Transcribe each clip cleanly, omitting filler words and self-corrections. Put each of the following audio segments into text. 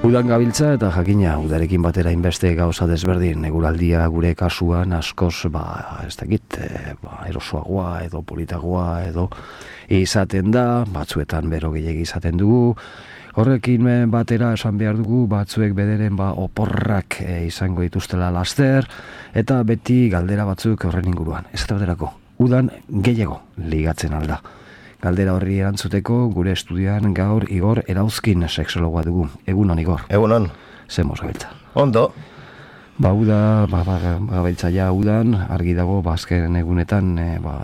Udan gabiltza eta jakina, udarekin batera inbeste gauza desberdin, eguraldia gure kasuan askoz, ez dakit, erosoagoa edo politagoa edo izaten da, batzuetan bero gehiegi izaten dugu, horrekin batera esan behar dugu, batzuek bederen oporrak izango dituztela laster, eta beti galdera batzuk horren inguruan. Ez baterako, udan gehiago ligatzen alda. Galdera horri erantzuteko gure estudian gaur Igor Erauzkin sexologoa dugu. Egunon, Igor. Egunon. Zemoz gabiltza. Ondo. Gabiltza ja udan, argi dago, azken egunetan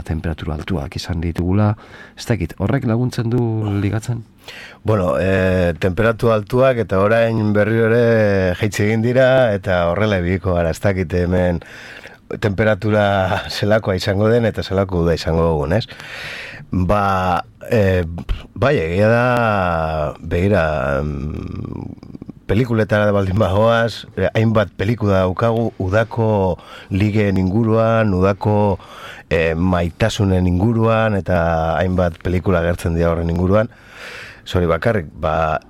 temperatura altuak izan ditugula. Ez dakit, horrek laguntzen du ligatzen? Bueno, temperatura altuak eta orain berriro ere jaitsi egin dira eta horrela ebiko gara, ez dakit hemen temperatura zelakoa izango den eta zelako da izango dugun, ez? Egia da, begira, pelikuletara da baldin bagoaz, hainbat pelikula daukagu udako ligeen inguruan, udako maitasunen inguruan, eta hainbat pelikula gertzen dira horren inguruan. Zori bakarrik,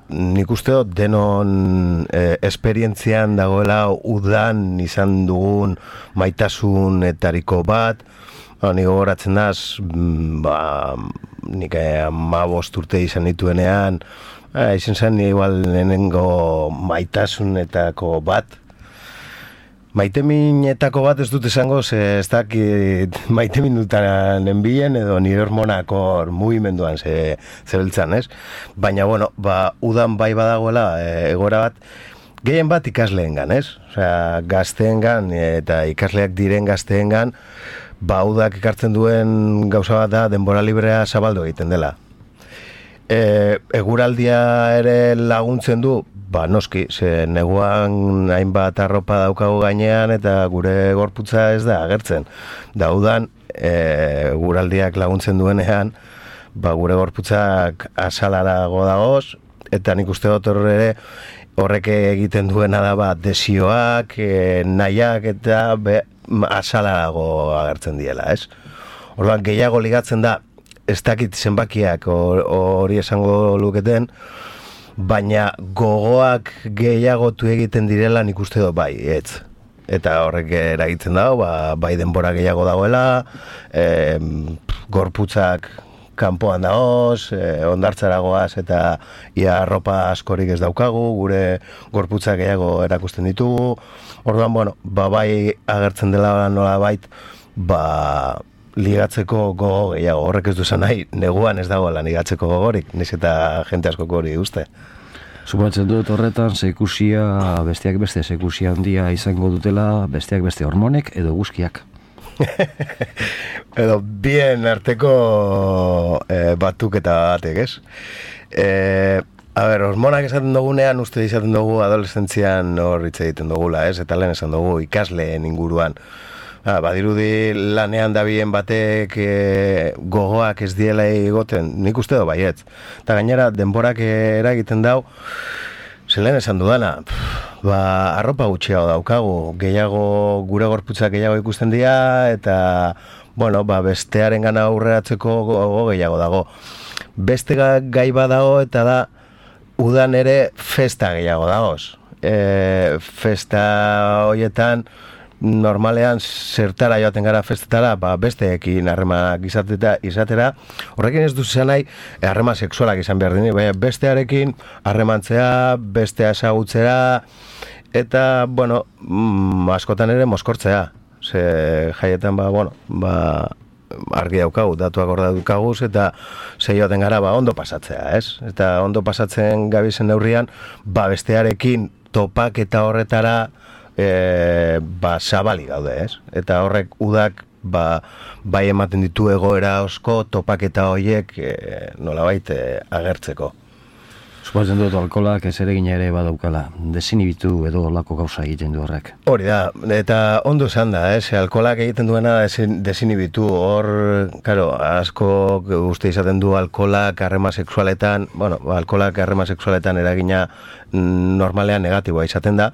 nik uste dut denon esperientzian dagoela udan izan dugun maitasunetariko bat. Nik gogoratzen daz, nik 15 urte izan dituenean, izan zen igual lehenengo maitasunetako bat. Maiteminetako bat ez dut esango, ez dakit maitemindutan enbilen edo nire hormonako mugimenduan zebeltzan, ez? Baina, udan bai badagoela egora bat, gehien bat ikasleengan, ez? Osea, gazteengan eta ikasleak diren gazteengan, udak ekartzen duen gauza bat da denbora librea zabaldu egiten dela. Eguraldia ere laguntzen du, noski, ze neguan hainbat arropa daukagu gainean eta gure gorputza ez da agertzen. Udan, eguraldiak laguntzen duenean, gure gorputzak azalarago dagoz, eta nik uste dut ere horrek egiten duena da desioak, nahiak eta azalarago agertzen diela, ez? Orduan, gehiago ligatzen da, ez dakit zenbakiak hori esango luketen, baina gogoak gehiagotu egiten direla nik uste dut bai, ez. Eta horrek eragiten dago, bai denbora gehiago dagoela, gorputzak kanpoan dagoz, ondartzaragoaz eta ia arropa askorik ez daukagu, gure gorputzak gehiago erakusten ditugu. Orduan, bai agertzen dela nola bait, ligatzeko gogo gehiago. Horrek ez duzan nahi, neguan ez dagoela ligatzeko gogorik, niz eta jente askoko hori uste. Suposatzen dut horretan, besteak beste zekusia handia izango dutela, besteak beste hormonek edo guzkiak. Edo bien arteko batuk eta batek, ez? Hormonak esaten dugunean, uste izaten dugu adolescentzian hor hitz egiten dugula, ez? Eta lehen esan dugu ikasleen inguruan. Badirudi lanean dabien batek gogoak ez diela egoten, nik uste do baietz. Eta gainera, denborak eragiten dau, zelen esan dudana, arropa gutxiago daukagu, gehiago, gure gorputzak gehiago ikusten dira, eta, bestearen gana aurreratzeko gogo gehiago dago. Beste gai badago, eta da, udan ere festa gehiago dagoz. Festa horietan, normalean zertara joaten gara festetara, besteekin harremanak izatera, horrekin ez duzu nahi harreman sexualak izan behar dini, baina bestearekin harremantzea, bestea ezagutzera, eta, askotan ere mozkortzea. Ze jaietan, argi daukagu, datuak hor daukaguz, eta ze joaten gara, ondo pasatzea, ez? Eta ondo pasatzen gabizen neurrian, bestearekin topak eta horretara, zabali gaude, ez? Eta horrek udak bai ematen ditu egoera osko topaketa horiek nolabait agertzeko. Suposatzen dut alkoholak ez eregina ere badaukala, desinibitu edo olako gauza egiten du horrek. Hori da, eta ondo esan da, alkoholak egiten duena desinibitu, hor, asko uste izaten du alkoholak harreman sexualetan, alkoholak harreman sexualetan eragina normalean negatiboa izaten da,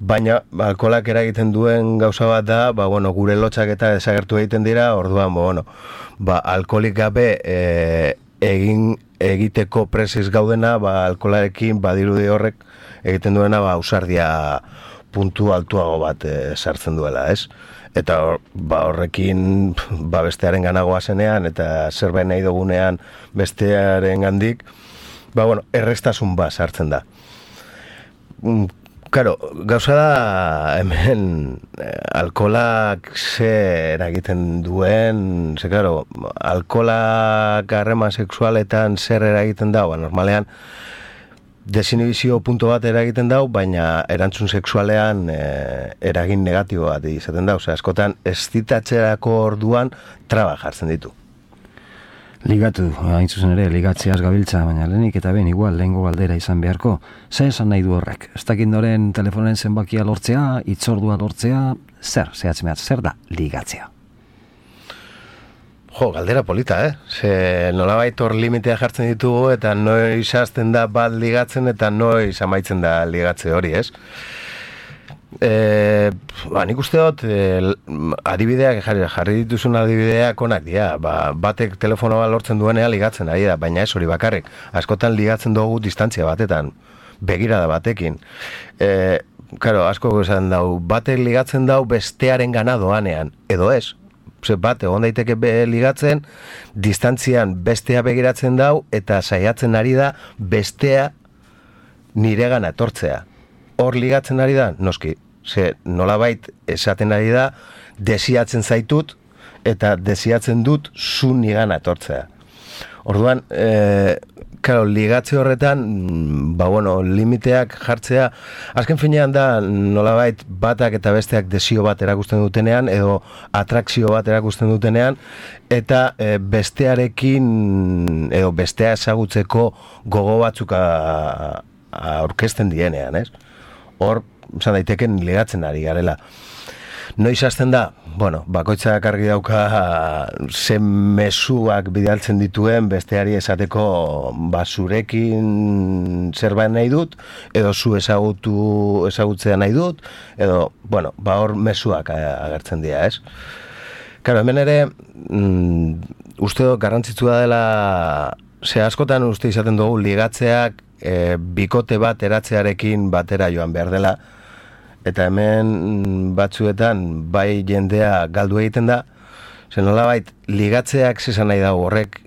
baina alkoholak eragiten duen gauza bat da, gure lotxak eta desagertu egiten dira, orduan, alkoholik gabe egin egiteko presiz gaudena, alkolarekin badirudi horrek egiten duena ausardia puntu altuago bat sartzen duela, ez? Eta horrekin bestearen ganagoa zenean eta zerbait nahi dugunean bestearen gandik, errestasun bat sartzen da. Claro, gauza da hemen alkolak zer eragiten duen, claro, alkolak harreman sexualetan zer eragiten da, normalean desinhibizio punto bat eragiten dau, baina erantzun sexualean eragin negatibo bat izaten da, askotan eszitatzerako orduan traba jartzen ditu. Ligatu, hain zuzen ere, ligatzeaz gabiltza, baina lehenik eta ben igual lehengo galdera izan beharko. Zer esan nahi du horrek? Ez dakit noren telefonen zenbakia lortzea, itzordua lortzea, zer da ligatzea? Galdera polita, Ze nolabait hor limitea jartzen ditugu eta noiz hasten da bat ligatzen eta noiz amaitzen da ligatze hori, ez? Nik uste dut adibideak jarri dituzun adibideak onak dira, batek telefonoa lortzen duenea ligatzen ari da, baina ez hori bakarrik, askotan ligatzen dugu distantzia batetan, begirada batekin. Claro, asko esan dau, batek ligatzen dau bestearen gana doanean, edo ez? Bat, egon daiteke ligatzen, distantzian bestea begiratzen dau, eta saiatzen ari da bestea niregana etortzea. Hor ligatzen ari da, noski, nolabait esaten ari da, desiatzen zaitut, eta desiatzen dut zu nigana etortzea. Orduan, ligatze horretan, limiteak jartzea, azken finean da, nolabait batak eta besteak desio bat erakusten dutenean, edo atrakzio bat erakusten dutenean, eta bestearekin, edo bestea ezagutzeko gogo batzuk aurkezten dienean, ez? Hor, zan daiteken ligatzen ari garela. Noiz hasten da? Bakoitzak argi dauka zen mezuak bidaltzen dituen besteari esateko zurekin zerbait nahi dut, edo zu ezagutzea nahi dut, edo, hor mezuak agertzen dira, ez? Claro, hemen ere, uste dut garrantzitsua dela, askotan uste izaten dugu ligatzeak bikote bat eratzearekin batera joan behar dela, eta hemen batzuetan bai jendea galdu egiten da, nolabait ligatzeak zesan nahi dago horrek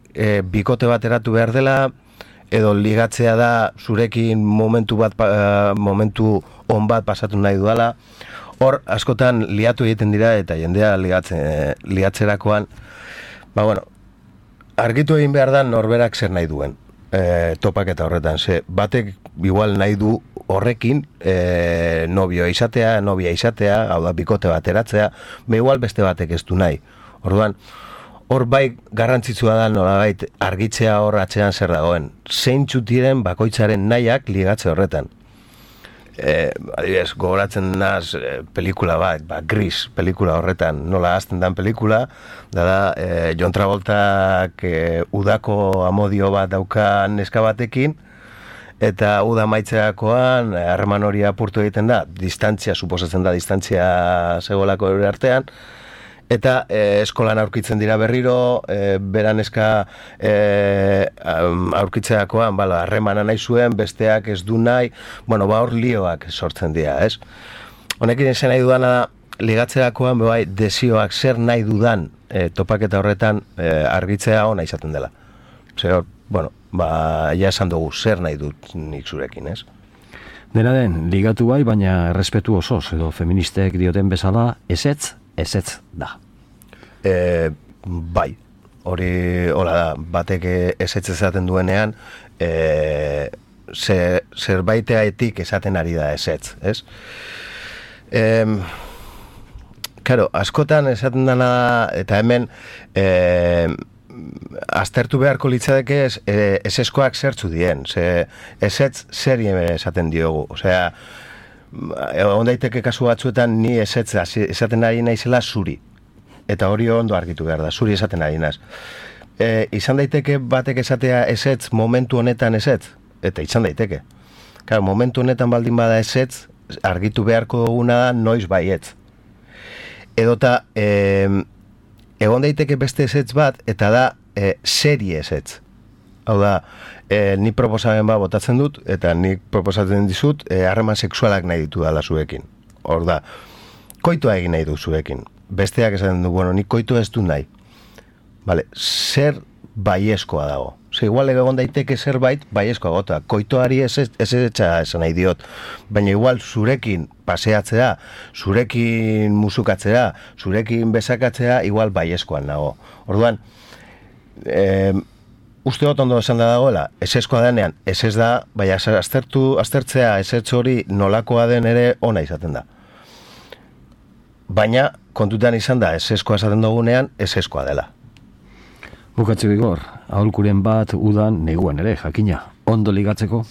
bikote bat eratu behar dela, edo ligatzea da zurekin momentu on bat pasatu nahi duela. Hor askotan liatu egiten dira eta jendea ligatzerakoan, argitu egin behar da norberak zer nahi duen topaketa horretan, batek igual nahi du horrekin nobia izatea, hau da bikote bat eratzea, igual beste batek ez du nahi. Orduan, hor bai garrantzitsua da nolabait argitzea hor atzean zer dagoen. Zeintzuk diren bakoitzaren nahiak ligatze horretan. Adibidez, gogoratzen naz pelikula bat, Gris pelikula horretan, nola hasten dan pelikula, da John Travoltak udako amodio bat daukan neska batekin, eta uda maitzeakoan harreman hori apurtu egiten da, suposatzen da distantzia zegoelako ere artean, eta eskolan aurkitzen dira berriro, beran eska aurkitzeakoan, harremana nahi zuen, besteak ez du nahi, hor lioak sortzen dira, ez? Honekin esan nahi dudana da, ligatzerakoan, desioak zer nahi dudan topaketa horretan argitzea ona izaten dela. Ja esan dugu, zer nahi dut nik zurekin, ez? Dena den, ligatu bai, baina errespetu osoz, edo feministek dioten bezala, ezetz da. Bai, hori hola da, batek ezetz esaten duenean, zerbaiteaetik esaten ari da ezetz, ez? Claro, askotan esaten dena, eta hemen aztertu beharko litzadeke eseskoak zertzu dien, ezetz zer esaten diogu, osea, egon daiteke kasu batzuetan ni ezetza esaten ari naizela zuri, eta hori ondo argitu behar da, zuri esaten ari naiz. Izan daiteke batek esatea ezetz momentu honetan ezetz, eta izan daiteke. Claro, momentu honetan baldin bada ezetz, argitu beharko duguna da noiz baietz. Edota, egon daiteke beste ezetz bat, eta da serie ezetz. Hau da, nik proposamen bat botatzen dut, eta nik proposatzen dizut, harreman sexualak nahi ditu dala zuekin. Hor da, koitoa egin nahi du zuekin. Besteak esaten du, bueno, nik koitoa ez du nahi. Vale, zer baiezkoa dago. Igual egon daiteke zerbait baiezkoa gota. Koitoari ez etxa esan nahi diot. Baina igual zurekin paseatzea, zurekin musukatzea, zurekin besakatzea, igual baiezkoan nago. Orduan, uste dut ondo esan da dagoela, eseskoa denean, ez da, baina aztertzea esetz hori nolakoa den ere ona izaten da. Baina, kontutan izan da, eseskoa esaten dugunean, eseskoa dela. Bukatzeko Igor, aholkuren bat udan neguan ere, jakina, ondo ligatzeko?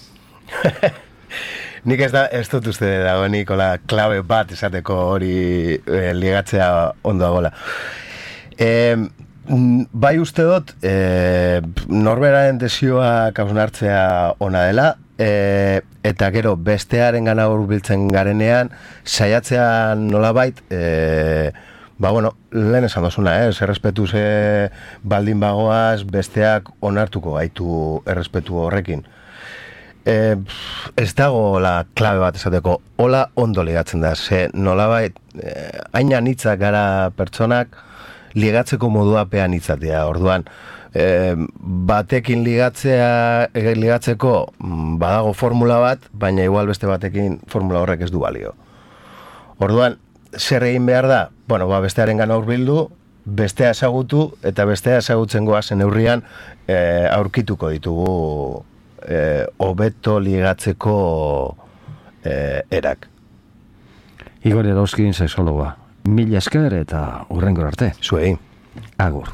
Nik ez dut uste dagoenik klabe bat esateko hori ligatzea ondo dagoela. Bai uste dut, norberaren desioa kausen hartzea ona dela, eta gero bestearen gana hurbiltzen garenean, saiatzean nolabait, lehen esan dozuna, errespetu baldin bagoaz, besteak onartuko gaitu errespetu horrekin. Ez dago klabe bat esateko, hola ondo ligatzen da, nolabait, haina nitzak gara pertsonak, ligatzeko moduapean itzatea, orduan, batekin ligatzeko badago formula bat, baina igual beste batekin formula horrek ez du balio. Orduan, zer egin behar da? Bueno, bestearen gana hurbildu, bestea ezagutu, eta bestea ezagutzen goazen neurrian aurkituko ditugu hobeto ligatzeko erak. Igor Erauzkin, sexologa. Mila esker eta hurrengor arte. Zuei. Agur.